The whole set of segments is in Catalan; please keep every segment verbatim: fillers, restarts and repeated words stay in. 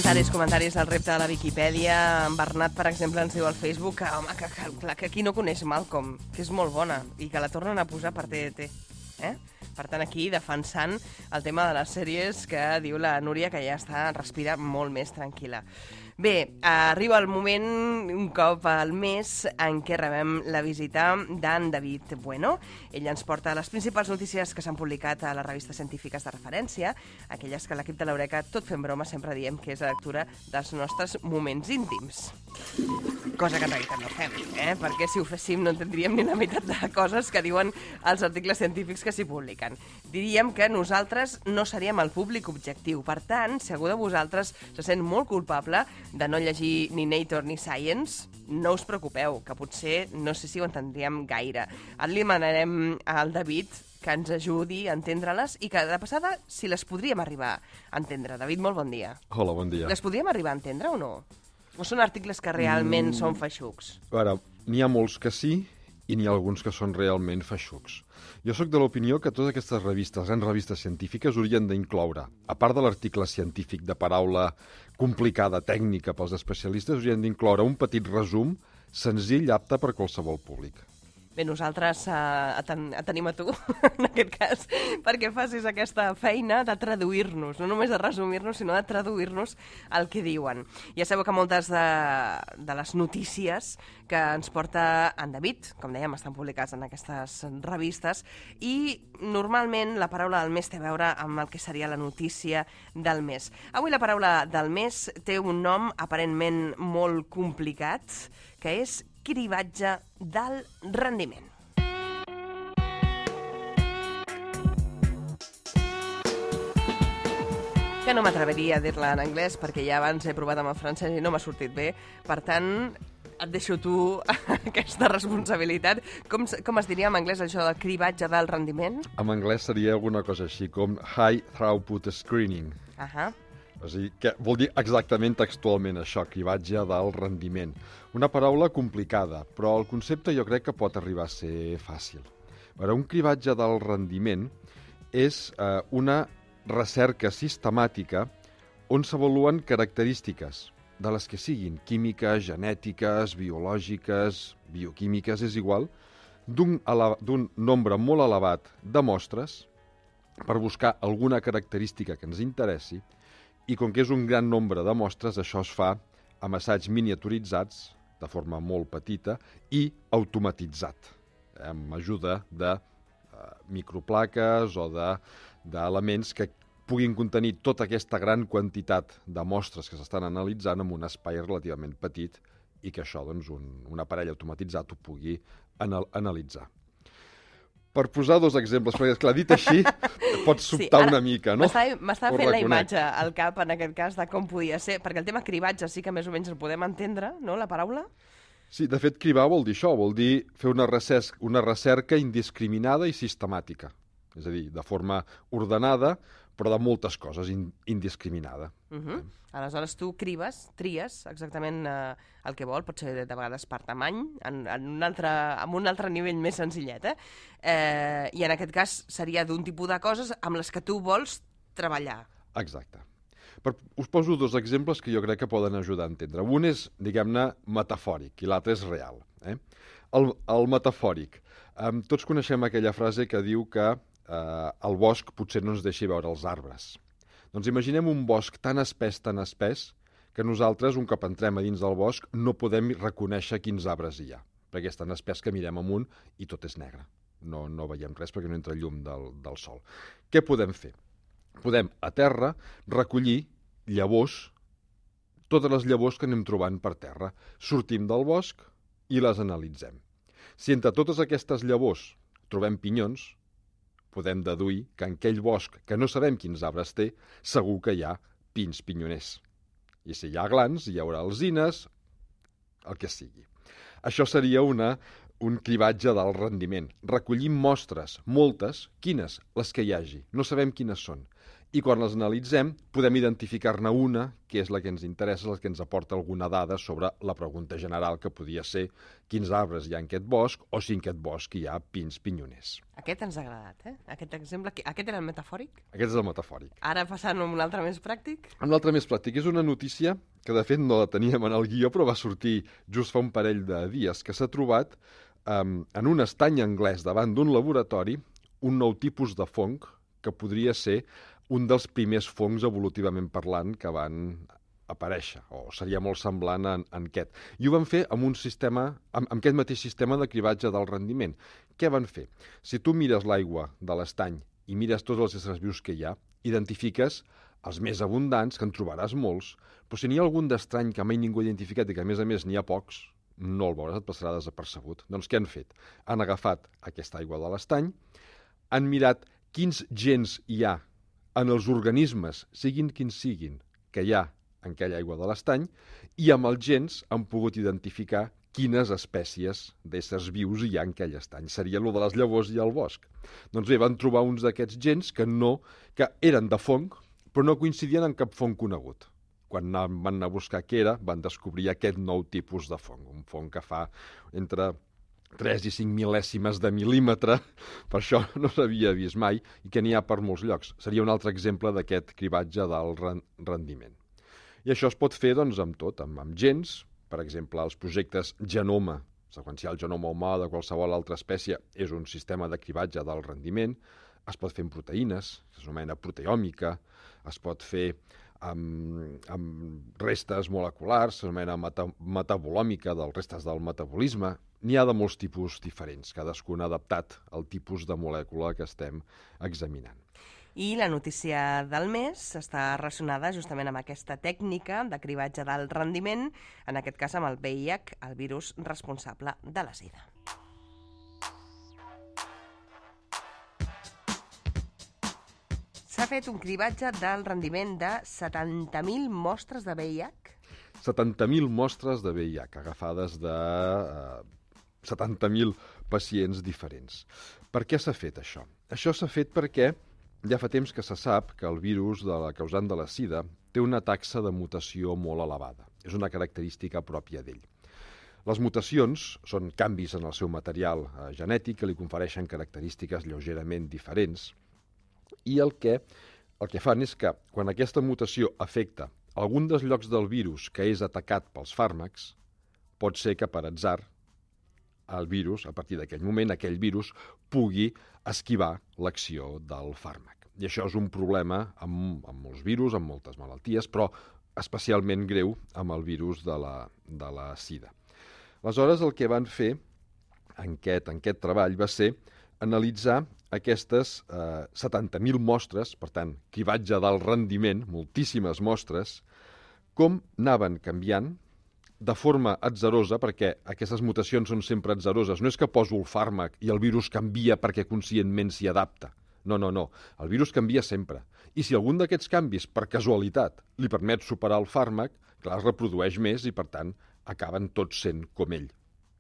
Comentaris, comentaris al repte de la Viquipèdia. En Bernat, per exemple, ens diu al Facebook que, home, que, que, que, que aquí no coneix Malcolm, que és molt bona, i que la tornen a posar per T D T. Eh? Per tant, aquí defensant el tema de les sèries que diu la Núria, que ja està, respira molt més tranquil·la. Bé, arriba el moment, un cop al mes, en què rebem la visita d'en David Bueno. Ell ens porta les principals notícies que s'han publicat a les revistes científiques de referència, aquelles que l'equip de l'Eureka, tot fent broma, sempre diem que és la lectura dels nostres moments íntims. Cosa que en realitat no fem, eh? Perquè si ho féssim no entendríem ni la meitat de coses que diuen els articles científics que s'hi publiquen. Diríem que nosaltres no seríem el públic objectiu. Per tant, si algú de vosaltres se sent molt culpable de no llegir ni Nature ni Science, no us preocupeu, que potser no sé si ho entendríem gaire. Ara li demanarem al David que ens ajudi a entendre-les i que, de passada, si les podríem arribar a entendre. David, molt bon dia. Hola, bon dia. Les podríem arribar a entendre o no? O són articles que realment mm. són feixucs? A veure, n'hi ha molts que sí i n'hi ha alguns que són realment feixucs. Jo sóc de l'opinió que totes aquestes revistes, grans revistes científiques, haurien d'incloure, a part de l'article científic de paraula complicada, tècnica pels especialistes, haurien d'incloure un petit resum senzill, apte per qualsevol públic. Bé, nosaltres uh, ten tenim a tu, en aquest cas, perquè facis aquesta feina de traduir-nos, no només de resumir-nos, sinó de traduir-nos el que diuen. Ja sabeu que moltes de, de les notícies que ens porta en David, com dèiem, estan publicats en aquestes revistes, i normalment la paraula del mes té a veure amb el que seria la notícia del mes. Avui la paraula del mes té un nom aparentment molt complicat, que és cribatge d'alt rendiment. Que no m'atreveria a dir-la en anglès perquè ja abans he provat amb el francès i no m'ha sortit bé. Per tant, et deixo tu aquesta responsabilitat. Com, com es diria en anglès això del cribatge d'alt rendiment? En anglès seria alguna cosa així com High Throughput Screening. Ahà. O sigui, que vol dir exactament textualment això, cribatge d'alt rendiment. Una paraula complicada, però el concepte jo crec que pot arribar a ser fàcil. A veure, un cribatge d'alt rendiment és eh, una recerca sistemàtica on s'avaluen característiques de les que siguin químiques, genètiques, biològiques, bioquímiques, és igual, d'un d'un nombre molt elevat de mostres per buscar alguna característica que ens interessi. I com que és un gran nombre de mostres, això es fa amb assaigs miniaturitzats, de forma molt petita, i automatitzat, eh, amb ajuda de eh, microplaques o d'elements de, que puguin contenir tota aquesta gran quantitat de mostres que s'estan analitzant en un espai relativament petit i que això, doncs, un, un aparell automatitzat ho pugui anal analitzar. Per posar dos exemples, perquè, esclar, dit així, pots sobtar sí, una mica, no? M'estava fent la imatge al cap, en aquest cas, de com podia ser, perquè el tema cribatge sí que més o menys el podem entendre, no?, la paraula? Sí, de fet, cribar vol dir això, vol dir fer una recerca, una recerca indiscriminada i sistemàtica. És a dir, de forma ordenada, però de moltes coses, in, indiscriminada. Uh -huh. Aleshores, tu cribes, tries exactament eh, el que vol, pot ser de vegades per tamany, en, en un altre, amb un altre nivell més senzillet, eh? eh I en aquest cas seria d'un tipus de coses amb les que tu vols treballar. Exacte. Per, us poso dos exemples que jo crec que poden ajudar a entendre. Un és, diguem-ne, metafòric i l'altre és real. Eh? El, el metafòric. Um, tots coneixem aquella frase que diu que Uh, el bosc potser no ens deixi veure els arbres. Doncs imaginem un bosc tan espès, tan espès, que nosaltres, un cop entrem a dins del bosc, no podem reconèixer quins arbres hi ha, perquè és tan espès que mirem amunt i tot és negre. No, no veiem res perquè no entra llum del, del sol. Què podem fer? Podem, a terra, recollir llavors, totes les llavors que anem trobant per terra. Sortim del bosc i les analitzem. Si entre totes aquestes llavors trobem pinyons, podem deduir que en aquell bosc, que no sabem quins arbres té, segur que hi ha pins pinyoners. I si hi ha glans, hi haurà alzines, el que sigui. Això seria una, un cribatge d'alt rendiment. Recollim mostres, moltes, quines? Les que hi hagi. No sabem quines són. i quan les analitzem podem identificar-ne una que és la que ens interessa, la que ens aporta alguna dada sobre la pregunta general que podia ser quins arbres hi ha en aquest bosc o si en aquest bosc hi ha pins pinyoners. Aquest ens ha agradat, eh? Aquest exemple, aquest era el metafòric? Aquest és el metafòric. Ara passant a un altre més pràctic? Un altre més pràctic. És una notícia que de fet no la teníem en el guió, però va sortir just fa un parell de dies, que s'ha trobat um, en un estany anglès davant d'un laboratori un nou tipus de fong que podria ser un dels primers fongs evolutivament parlant que van aparèixer, o seria molt semblant en, en aquest. I ho van fer amb un sistema, amb, amb aquest mateix sistema de cribatge del rendiment. Què van fer? Si tu mires l'aigua de l'estany i mires tots els éssers vius que hi ha, identifiques els més abundants, que en trobaràs molts, però si n'hi ha algun d'estrany que mai ningú ha identificat i que a més a més n'hi ha pocs, no el veuràs, et passarà desapercebut. Doncs què han fet? Han agafat aquesta aigua de l'estany, han mirat quins gens hi ha en els organismes, siguin quins siguin, que hi ha en aquella aigua de l'estany, i amb els gens han pogut identificar quines espècies d'éssers vius hi ha en aquell estany. Seria allò de les llavors i el bosc. Doncs bé, van trobar uns d'aquests gens que no, que eren de fong, però no coincidien en cap fong conegut. Quan van anar a buscar què era, van descobrir aquest nou tipus de fong, un fong que fa entre tres i cinc mil·lèsimes de mil·límetre, per això no s'havia vist mai, i que n'hi ha per molts llocs. Seria un altre exemple d'aquest cribatge del rendiment. I això es pot fer doncs, amb tot, amb, amb gens, per exemple, els projectes Genoma, seqüenciar el genoma humà de qualsevol altra espècie, és un sistema de cribatge del rendiment, es pot fer amb proteïnes, s'anomena proteòmica, es pot fer amb, amb restes moleculars, s'anomena meta, metabolòmica, dels restes del metabolisme. N'hi ha de molts tipus diferents, cadascun adaptat al tipus de molècula que estem examinant. I la notícia del mes està relacionada justament amb aquesta tècnica de cribatge del rendiment, en aquest cas amb el V I H, el virus responsable de la sida. S'ha fet un cribatge del rendiment de setanta mil mostres de V I H? setanta mil mostres de V I H, agafades de eh, setanta mil pacients diferents. Per què s'ha fet això? Això s'ha fet perquè ja fa temps que se sap que el virus de la causant de la sida té una taxa de mutació molt elevada. És una característica pròpia d'ell. Les mutacions són canvis en el seu material eh, genètic que li confereixen característiques lleugerament diferents i el que, el que fan és que quan aquesta mutació afecta algun dels llocs del virus que és atacat pels fàrmacs, pot ser que per atzar el virus, a partir d'aquell moment, aquell virus pugui esquivar l'acció del fàrmac. I això és un problema amb, amb molts virus, amb moltes malalties, però especialment greu amb el virus de la, de la sida. Aleshores, el que van fer en aquest, en aquest treball va ser analitzar aquestes eh, setanta mil mostres, per tant, cribatge del rendiment, moltíssimes mostres, com anaven canviant de forma atzarosa, perquè aquestes mutacions són sempre atzaroses. No és que poso el fàrmac i el virus canvia perquè conscientment s'hi adapta. No, no, no. El virus canvia sempre. I si algun d'aquests canvis, per casualitat, li permet superar el fàrmac, clar, es reprodueix més i, per tant, acaben tots sent com ell.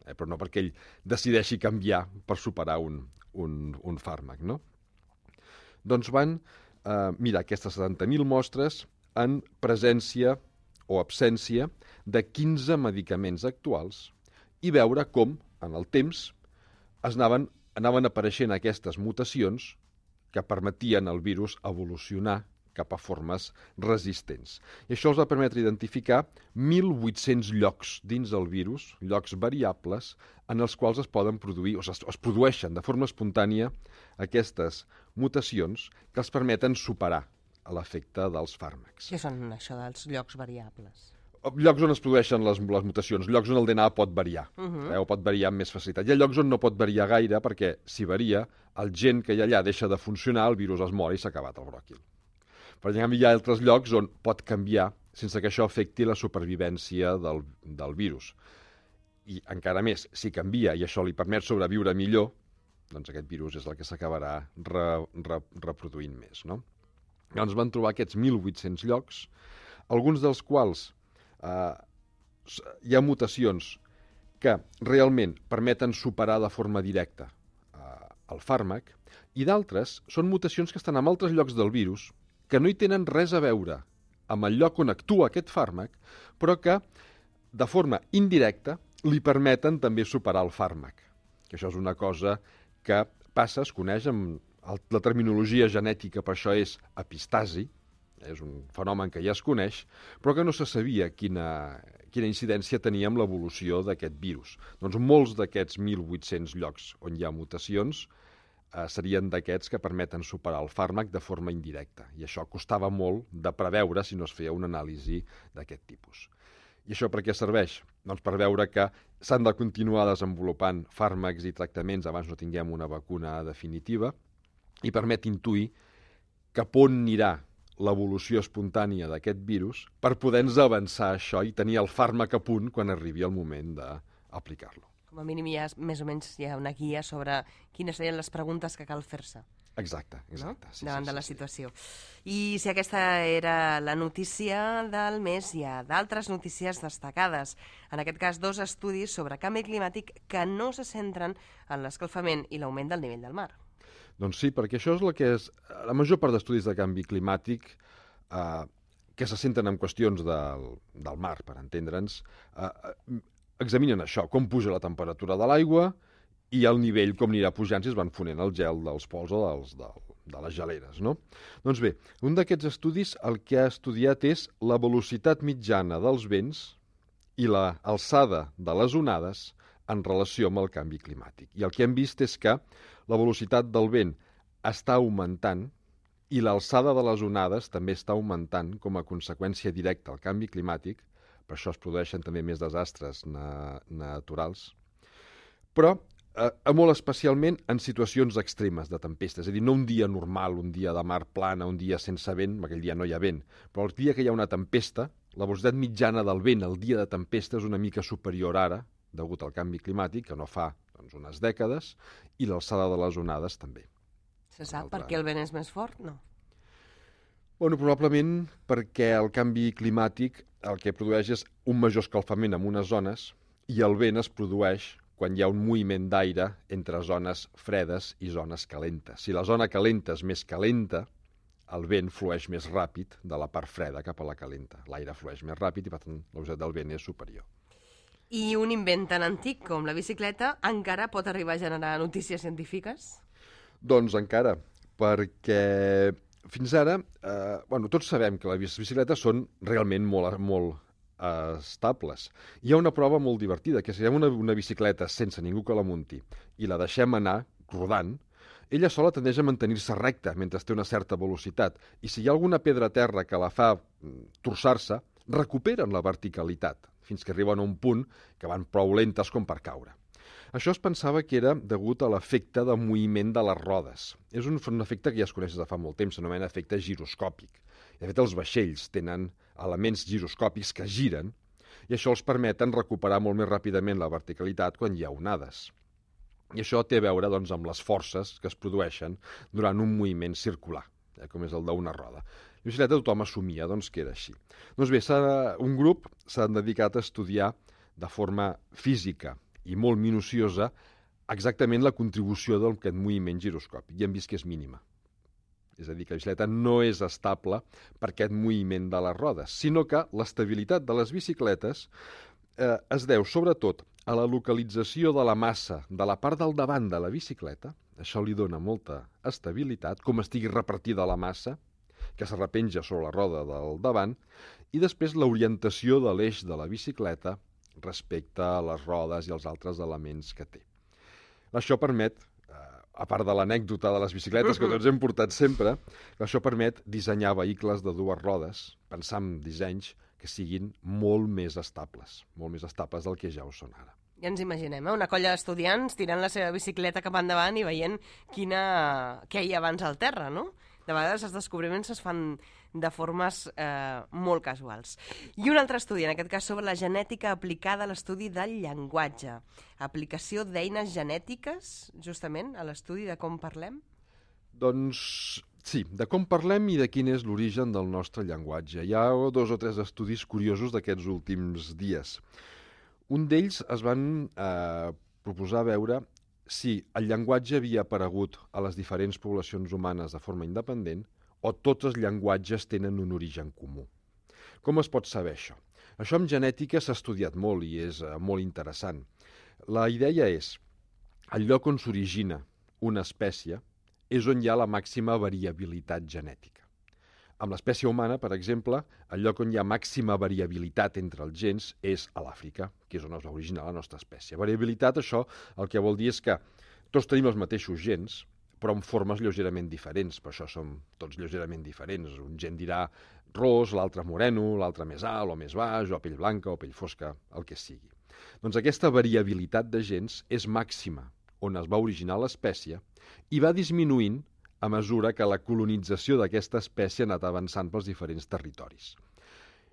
Eh, però no perquè ell decideixi canviar per superar un, un, un fàrmac, no? Doncs van eh, mirar aquestes setanta mil mostres en presència o absència de quinze medicaments actuals i veure com, en el temps, es anaven, anaven apareixent aquestes mutacions que permetien al virus evolucionar cap a formes resistents. I això els va permetre identificar mil vuit-cents llocs dins del virus, llocs variables, en els quals es poden produir, o es, es produeixen de forma espontània aquestes mutacions que els permeten superar l'efecte dels fàrmacs. Què són això dels llocs variables? Llocs on es produeixen les, les mutacions, llocs on el D N A pot variar, uh -huh. eh, o pot variar amb més facilitat. Hi ha llocs on no pot variar gaire, perquè si varia, el gen que hi ha allà deixa de funcionar, el virus es mor i s'ha acabat el bròquil. Per exemple, hi ha altres llocs on pot canviar sense que això afecti la supervivència del, del virus. I encara més, si canvia i això li permet sobreviure millor, doncs aquest virus és el que s'acabarà re, re, reproduint més, no? Llavors van trobar aquests mil vuit-cents llocs, alguns dels quals eh, hi ha mutacions que realment permeten superar de forma directa eh, el fàrmac, i d'altres són mutacions que estan en altres llocs del virus que no hi tenen res a veure amb el lloc on actua aquest fàrmac, però que, de forma indirecta, li permeten també superar el fàrmac. Que això és una cosa que passa, es coneix, amb el, la terminologia genètica per això és epistasi, és un fenomen que ja es coneix, però que no se sabia quina, quina incidència tenia amb l'evolució d'aquest virus. Doncs molts d'aquests mil vuit-cents llocs on hi ha mutacions eh, serien d'aquests que permeten superar el fàrmac de forma indirecta. I això costava molt de preveure si no es feia una anàlisi d'aquest tipus. I això per què serveix? Doncs per veure que s'han de continuar desenvolupant fàrmacs i tractaments abans no tinguem una vacuna definitiva i permet intuir cap on anirà l'evolució espontània d'aquest virus per poder-nos avançar això i tenir el fàrmac a punt quan arribi el moment d'aplicar-lo. Com a mínim hi ha, més o menys hi ha una guia sobre quines serien les preguntes que cal fer-se. Exacte, exacte. No? Sí, davant sí, de la sí, situació. I si aquesta era la notícia del mes, hi ha d'altres notícies destacades. En aquest cas, dos estudis sobre canvi climàtic que no se centren en l'escalfament i l'augment del nivell del mar. Doncs sí, perquè això és el que és... La major part d'estudis de canvi climàtic eh, que se centren en qüestions del, del mar, per entendre'ns, eh, examinen això, com puja la temperatura de l'aigua i el nivell com anirà pujant si es van fonent el gel dels pols o dels, del, de les geleres, no? Doncs bé, un d'aquests estudis el que ha estudiat és la velocitat mitjana dels vents i l'alçada de les onades en relació amb el canvi climàtic. I el que hem vist és que la velocitat del vent està augmentant i l'alçada de les onades també està augmentant com a conseqüència directa al canvi climàtic, per això es produeixen també més desastres na naturals, però eh, molt especialment en situacions extremes de tempesta, és a dir, no un dia normal, un dia de mar plana, un dia sense vent, aquell dia no hi ha vent, però el dia que hi ha una tempesta, la velocitat mitjana del vent el dia de tempesta és una mica superior ara, degut al canvi climàtic, que no fa doncs, unes dècades, i l'alçada de les onades també. Se sap per què el vent és més fort? No. Bueno, probablement perquè el canvi climàtic el que produeix és un major escalfament en unes zones i el vent es produeix quan hi ha un moviment d'aire entre zones fredes i zones calentes. Si la zona calenta és més calenta, el vent flueix més ràpid de la part freda cap a la calenta. L'aire flueix més ràpid i, per tant, la velocitat del vent és superior. I un invent tan antic com la bicicleta encara pot arribar a generar notícies científiques? Doncs encara, perquè fins ara, eh, bueno, tots sabem que les bicicletes són realment molt, molt eh, estables. Hi ha una prova molt divertida, que si hi ha una, una bicicleta sense ningú que la munti i la deixem anar rodant, ella sola tendeix a mantenir-se recta mentre té una certa velocitat, i si hi ha alguna pedra a terra que la fa torçar-se, recuperen la verticalitat, fins que arriben a un punt que van prou lentes com per caure. Això es pensava que era degut a l'efecte de moviment de les rodes. És un, un efecte que ja es coneix de fa molt temps, s'anomena efecte giroscòpic. De fet, els vaixells tenen elements giroscòpics que giren i això els permeten recuperar molt més ràpidament la verticalitat quan hi ha onades. I això té a veure doncs, amb les forces que es produeixen durant un moviment circular, eh, com és el d'una roda. La bicicleta tothom assumia doncs, que era així. Doncs bé, un grup s'ha dedicat a estudiar de forma física i molt minuciosa exactament la contribució d'aquest moviment giroscòpic, i hem vist que és mínima. És a dir, que la bicicleta no és estable per aquest moviment de les rodes, sinó que l'estabilitat de les bicicletes eh, es deu sobretot a la localització de la massa de la part del davant de la bicicleta, això li dona molta estabilitat, com estigui repartida la massa, que se repenja sobre la roda del davant, i després l'orientació de l'eix de la bicicleta respecte a les rodes i els altres elements que té. Això permet, a part de l'anècdota de les bicicletes que tots hem portat sempre, això permet dissenyar vehicles de dues rodes, pensar en dissenys que siguin molt més estables, molt més estables del que ja ho són ara. Ja ens imaginem, eh? Una colla d'estudiants tirant la seva bicicleta cap endavant i veient quina... què hi ha abans al terra, no? De vegades els descobriments es fan de formes eh, molt casuals. I un altre estudi, en aquest cas sobre la genètica aplicada a l'estudi del llenguatge. Aplicació d'eines genètiques, justament, a l'estudi de com parlem? Doncs sí, de com parlem i de quin és l'origen del nostre llenguatge. Hi ha dos o tres estudis curiosos d'aquests últims dies. Un d'ells es van eh, proposar veure si el llenguatge havia aparegut a les diferents poblacions humanes de forma independent o tots els llenguatges tenen un origen comú. Com es pot saber això? Això en genètica s'ha estudiat molt i és eh, molt interessant. La idea és, el lloc on s'origina una espècie és on hi ha la màxima variabilitat genètica. Amb l'espècie humana, per exemple, el lloc on hi ha màxima variabilitat entre els gens és a l'Àfrica, que és on es va originar la nostra espècie. Variabilitat, això, el que vol dir és que tots tenim els mateixos gens, però amb formes lleugerament diferents. Per això som tots lleugerament diferents. Un gen dirà ros, l'altre moreno, l'altre més alt o més baix, o pell blanca o pell fosca, el que sigui. Doncs aquesta variabilitat de gens és màxima on es va originar l'espècie i va disminuint a mesura que la colonització d'aquesta espècie ha anat avançant pels diferents territoris.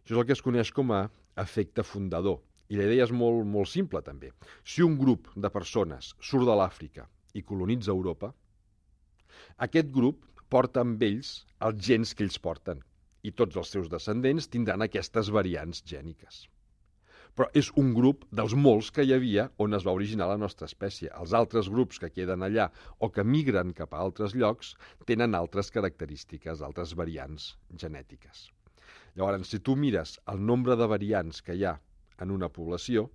Això és el que es coneix com a efecte fundador. I la idea és molt, molt simple, també. Si un grup de persones surt de l'Àfrica i colonitza Europa, aquest grup porta amb ells els gens que ells porten i tots els seus descendents tindran aquestes variants gèniques. Però és un grup dels molts que hi havia on es va originar la nostra espècie. Els altres grups que queden allà o que migren cap a altres llocs tenen altres característiques, altres variants genètiques. Llavors, si tu mires el nombre de variants que hi ha en una població,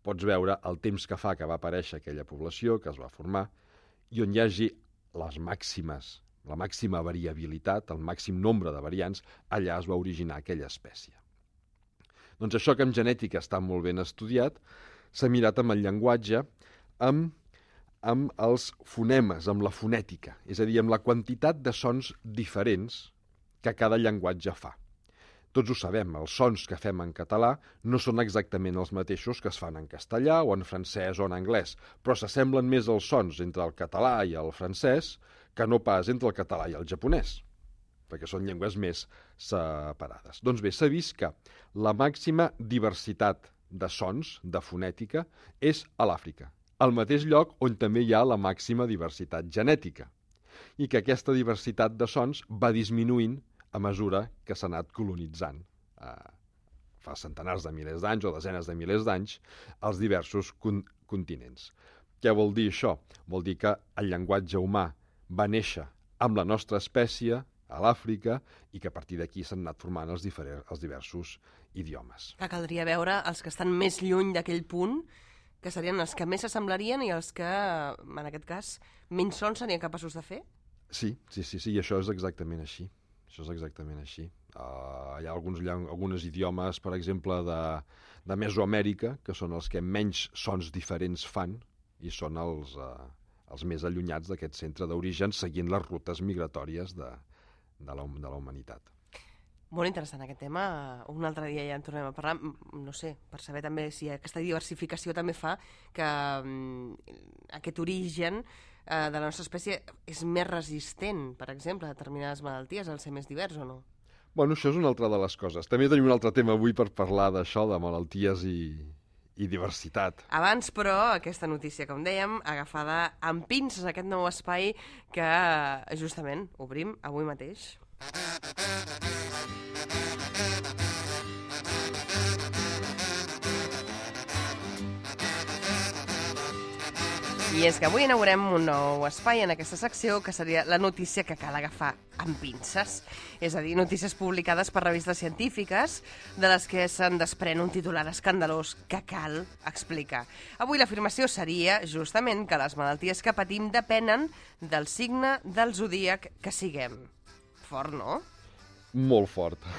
pots veure el temps que fa que va aparèixer aquella població, que es va formar, i on hi hagi les màximes, la màxima variabilitat, el màxim nombre de variants, allà es va originar aquella espècie. Doncs això que en genètica està molt ben estudiat, s'ha mirat amb el llenguatge, amb, amb els fonemes, amb la fonètica, és a dir, amb la quantitat de sons diferents que cada llenguatge fa. Tots ho sabem, els sons que fem en català no són exactament els mateixos que es fan en castellà o en francès o en anglès, però s'assemblen més els sons entre el català i el francès que no pas entre el català i el japonès, perquè són llengües més separades. Doncs bé, s'ha vist que la màxima diversitat de sons, de fonètica, és a l'Àfrica, al mateix lloc on també hi ha la màxima diversitat genètica, i que aquesta diversitat de sons va disminuint a mesura que s'ha anat colonitzant eh, fa centenars de milers d'anys o desenes de milers d'anys els diversos con continents. Què vol dir això? Vol dir que el llenguatge humà va néixer amb la nostra espècie a l'Àfrica i que a partir d'aquí s'han anat formant els, els diversos idiomes. Que caldria veure els que estan més lluny d'aquell punt, que serien els que més s'assemblarien i els que, en aquest cas, menys sons serien capaços de fer? Sí, sí, sí, sí, i això és exactament així. Això és exactament així. Uh, hi ha alguns, alguns idiomes, per exemple, de, de Mesoamèrica, que són els que menys sons diferents fan i són els, uh, els més allunyats d'aquest centre d'origen, seguint les rutes migratòries de, de, la, de la humanitat. Molt interessant aquest tema. Un altre dia ja en tornem a parlar, no sé, per saber també si aquesta diversificació també fa que um, aquest origen uh, de la nostra espècie és més resistent, per exemple, a determinades malalties, al ser més divers o no? Bueno, això és una altra de les coses. També tenim un altre tema avui per parlar d'això, de malalties i, i diversitat. Abans, però, aquesta notícia, com dèiem, agafada amb pinces, aquest nou espai que justament obrim avui mateix. I és que avui inaugurem un nou espai en aquesta secció que seria la notícia que cal agafar amb pinces. És a dir, notícies publicades per revistes científiques de les que se'n desprèn un titular escandalós que cal explicar. Avui l'afirmació seria justament que les malalties que patim depenen del signe del zodíac que siguem. Fort, no? Molt fort.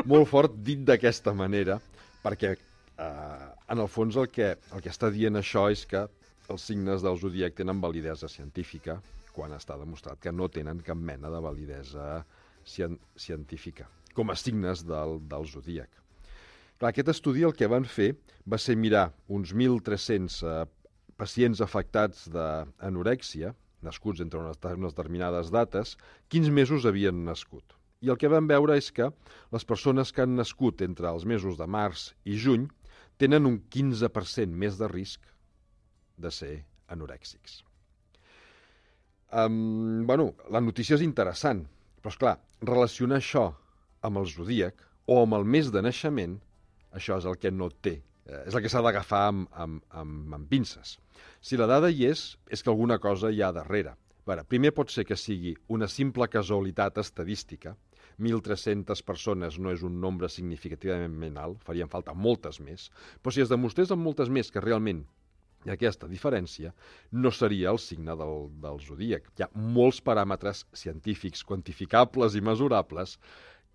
Molt fort dit d'aquesta manera, perquè eh, en el fons el que, el que està dient això és que els signes del zodíac tenen validesa científica, quan està demostrat que no tenen cap mena de validesa cien científica, com a signes del, del zodíac. Clar, aquest estudi el que van fer va ser mirar uns mil tres-cents eh, pacients afectats d'anorèxia, nascuts entre unes, unes determinades dates, quins mesos havien nascut. I el que van veure és que les persones que han nascut entre els mesos de març i juny tenen un quinze per cent més de risc de ser anorèxics. Um, bueno, la notícia és interessant, però és clar, relacionar això amb el zodíac o amb el mes de naixement, això és el que no té, eh, és el que s'ha d'agafar amb, amb, amb, amb pinces. Si la dada hi és, és que alguna cosa hi ha darrere, veure, primer pot ser que sigui una simple casualitat estadística. mil tres-centes persones no és un nombre significativament alt, farien falta moltes més, però si es demostrés amb moltes més que realment hi ha aquesta diferència, no seria el signe del, del zodíac. Hi ha molts paràmetres científics, quantificables i mesurables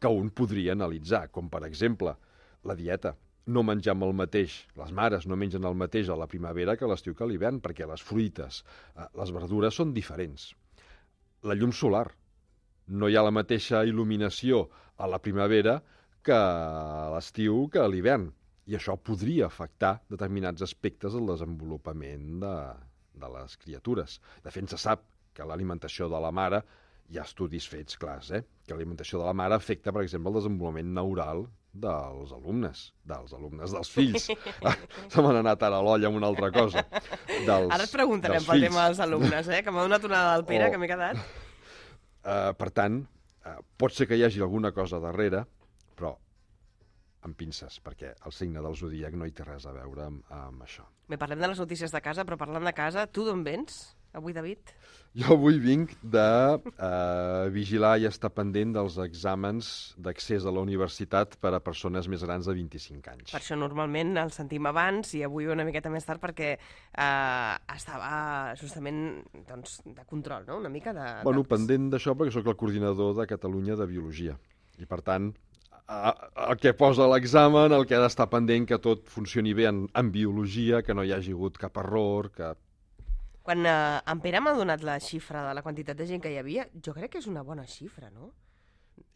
que un podria analitzar, com per exemple la dieta. No mengem el mateix, les mares no mengen el mateix a la primavera que a l'estiu que a l'hivern, perquè les fruites, les verdures són diferents. La llum solar. No hi ha la mateixa il·luminació a la primavera que a l'estiu que a l'hivern. I això podria afectar determinats aspectes del desenvolupament de, de les criatures. De fet, se sap que l'alimentació de la mare, hi ha estudis fets clars, eh? que l'alimentació de la mare afecta, per exemple, el desenvolupament neural dels alumnes, dels alumnes, dels fills. Ah, se m'han anat ara a l'olla amb una altra cosa. Dels, ara et preguntarem pel tema dels alumnes, eh? que m'ha donat una del Pere, o... que m'he quedat. Uh, per tant, uh, pot ser que hi hagi alguna cosa darrere, però amb pinces, perquè el signe del zodíac no hi té res a veure amb, amb això. Bé, parlem de les notícies de casa, però parlant de casa, tu d'on vens avui, David? Jo avui vinc de uh, vigilar i estar pendent dels exàmens d'accés a la universitat per a persones més grans de vint-i-cinc anys. Per això normalment el sentim abans i avui una miqueta més tard perquè uh, estava justament doncs, de control, no? Una mica de... Bueno, pendent d'això perquè sóc el coordinador de Catalunya de Biologia i per tant el que posa l'examen, el que ha d'estar pendent que tot funcioni bé en, en biologia, que no hi hagi hagut cap error, que... Quan eh, en Pere m'ha donat la xifra de la quantitat de gent que hi havia, jo crec que és una bona xifra, no?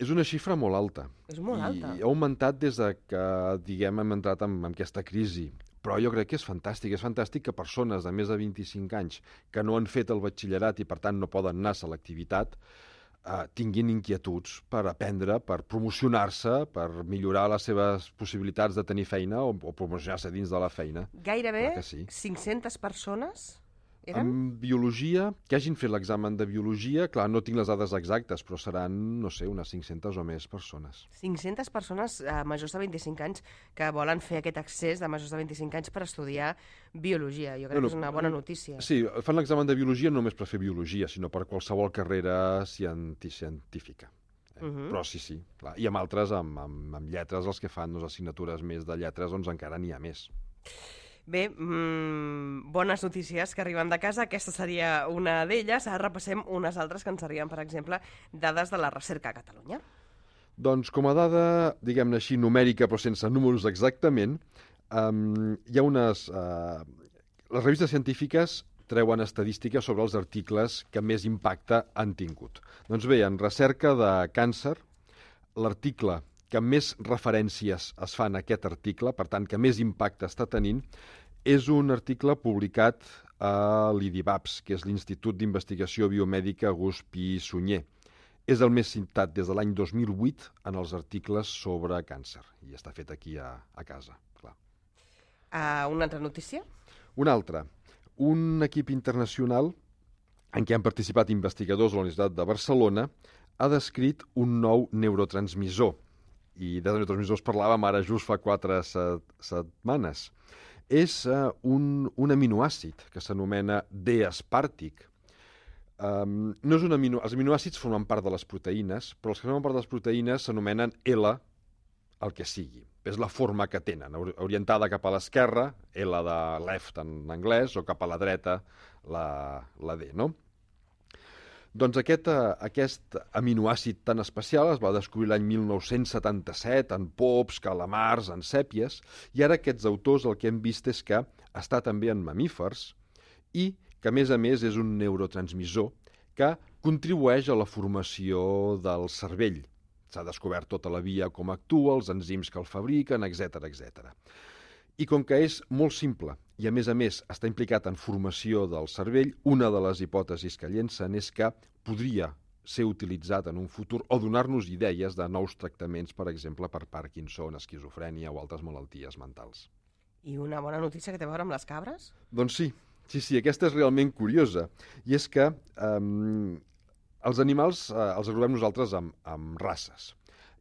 És una xifra molt alta. És molt alta. I ha augmentat des de que, diguem, hem entrat en, en aquesta crisi. Però jo crec que és fantàstic. És fantàstic que persones de més de vint-i-cinc anys que no han fet el batxillerat i, per tant, no poden anar a selectivitat, eh, tinguin inquietuds per aprendre, per promocionar-se, per millorar les seves possibilitats de tenir feina o, o promocionar-se dins de la feina. Gairebé sí. cinc-centes persones... Eren? En biologia, que hagin fet l'examen de biologia, clar, no tinc les dades exactes, però seran, no sé, unes cinc-centes o més persones. cinc-centes persones eh, majors de vint-i-cinc anys que volen fer aquest accés de majors de vint-i-cinc anys per estudiar biologia. Jo crec no, no, que és una bona notícia. Sí, fan l'examen de biologia no només per fer biologia, sinó per qualsevol carrera cienti científica. Eh? Uh -huh. Però sí, sí. Clar. I amb altres, amb, amb, amb lletres, els que fan doncs, assignatures més de lletres, doncs encara n'hi ha més. Bé, mmm, bones notícies que arriben de casa. Aquesta seria una d'elles. Ara repassem unes altres que ens arriben, per exemple, dades de la recerca a Catalunya. Doncs com a dada, diguem-ne així, numèrica, però sense números exactament, um, hi ha unes... Uh, les revistes científiques treuen estadístiques sobre els articles que més impacte han tingut. Doncs bé, en recerca de càncer, l'article que més referències es fan a aquest article, per tant, que més impacte està tenint, és un article publicat a l'I D I B A P S, que és l'Institut d'Investigació Biomèdica Gust Pi i Sunyer. És el més citat des de l'any dos mil vuit en els articles sobre càncer, i està fet aquí a, a casa, clar. Uh, una altra notícia? Una altra. Un equip internacional en què han participat investigadors de la Universitat de Barcelona ha descrit un nou neurotransmissor, i de neurotransmissors parlàvem ara just fa quatre set, setmanes. És uh, un, un aminoàcid que s'anomena D-espàrtic. Um, no és un amino... Els aminoàcids formen part de les proteïnes, però els que formen part de les proteïnes s'anomenen L, el que sigui. És la forma que tenen, orientada cap a l'esquerra, L de left en anglès, o cap a la dreta, la, la D, no? Doncs aquest, aquest aminoàcid tan especial es va descobrir l'any mil nou-cents setanta-set en pops, calamars, en sèpies, i ara aquests autors el que hem vist és que està també en mamífers i que, a més a més, és un neurotransmissor que contribueix a la formació del cervell. S'ha descobert tota la via com actua, els enzims que el fabriquen, etcètera, etcètera. I com que és molt simple i, a més a més, està implicat en formació del cervell, una de les hipòtesis que llencen és que podria ser utilitzat en un futur o donar-nos idees de nous tractaments, per exemple, per Parkinson, esquizofrènia o altres malalties mentals. I una bona notícia que té a veure amb les cabres? Doncs sí, sí, sí, aquesta és realment curiosa. I és que um, els animals uh, els agrupem nosaltres amb, amb races.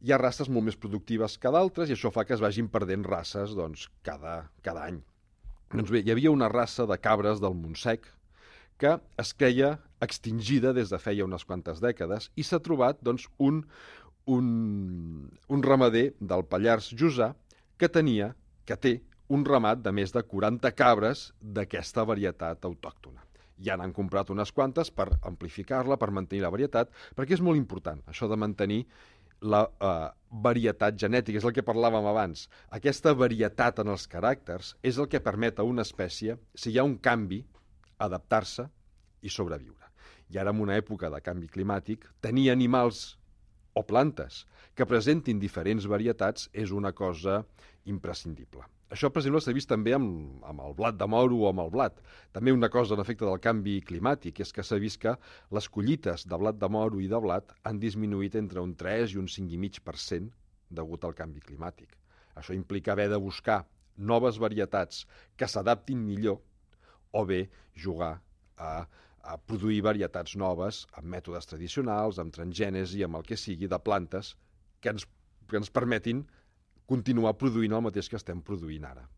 Hi ha races molt més productives que d'altres i això fa que es vagin perdent races doncs, cada, cada any. Doncs bé, hi havia una raça de cabres del Montsec que es creia extingida des de feia unes quantes dècades i s'ha trobat doncs, un, un, un ramader del Pallars Jussà que tenia, que té, un ramat de més de quaranta cabres d'aquesta varietat autòctona. Ja n'han comprat unes quantes per amplificar-la, per mantenir la varietat, perquè és molt important, això de mantenir la eh, varietat genètica, és el que parlàvem abans. Aquesta varietat en els caràcters és el que permet a una espècie, si hi ha un canvi, adaptar-se i sobreviure. I ara, en una època de canvi climàtic, tenir animals o plantes que presentin diferents varietats és una cosa imprescindible. Això, per exemple, s'ha vist també amb, amb el blat de moro o amb el blat. També una cosa en efecte del canvi climàtic és que s'ha vist que les collites de blat de moro i de blat han disminuït entre un tres i un cinc coma cinc per cent degut al canvi climàtic. Això implica haver de buscar noves varietats que s'adaptin millor o bé jugar a, a produir varietats noves amb mètodes tradicionals, amb transgènesi, amb el que sigui, de plantes que ens, que ens permetin continuar produint el mateix que estem produint ara.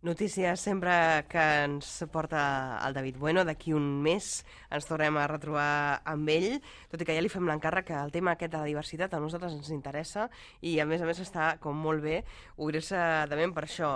Notícies sempre que ens porta el David Bueno. D'aquí un mes ens tornem a retrobar amb ell, tot i que ja li fem l'encàrrec que el tema aquest de la diversitat a nosaltres ens interessa i a més a més està com molt bé obrir-se de ment per això.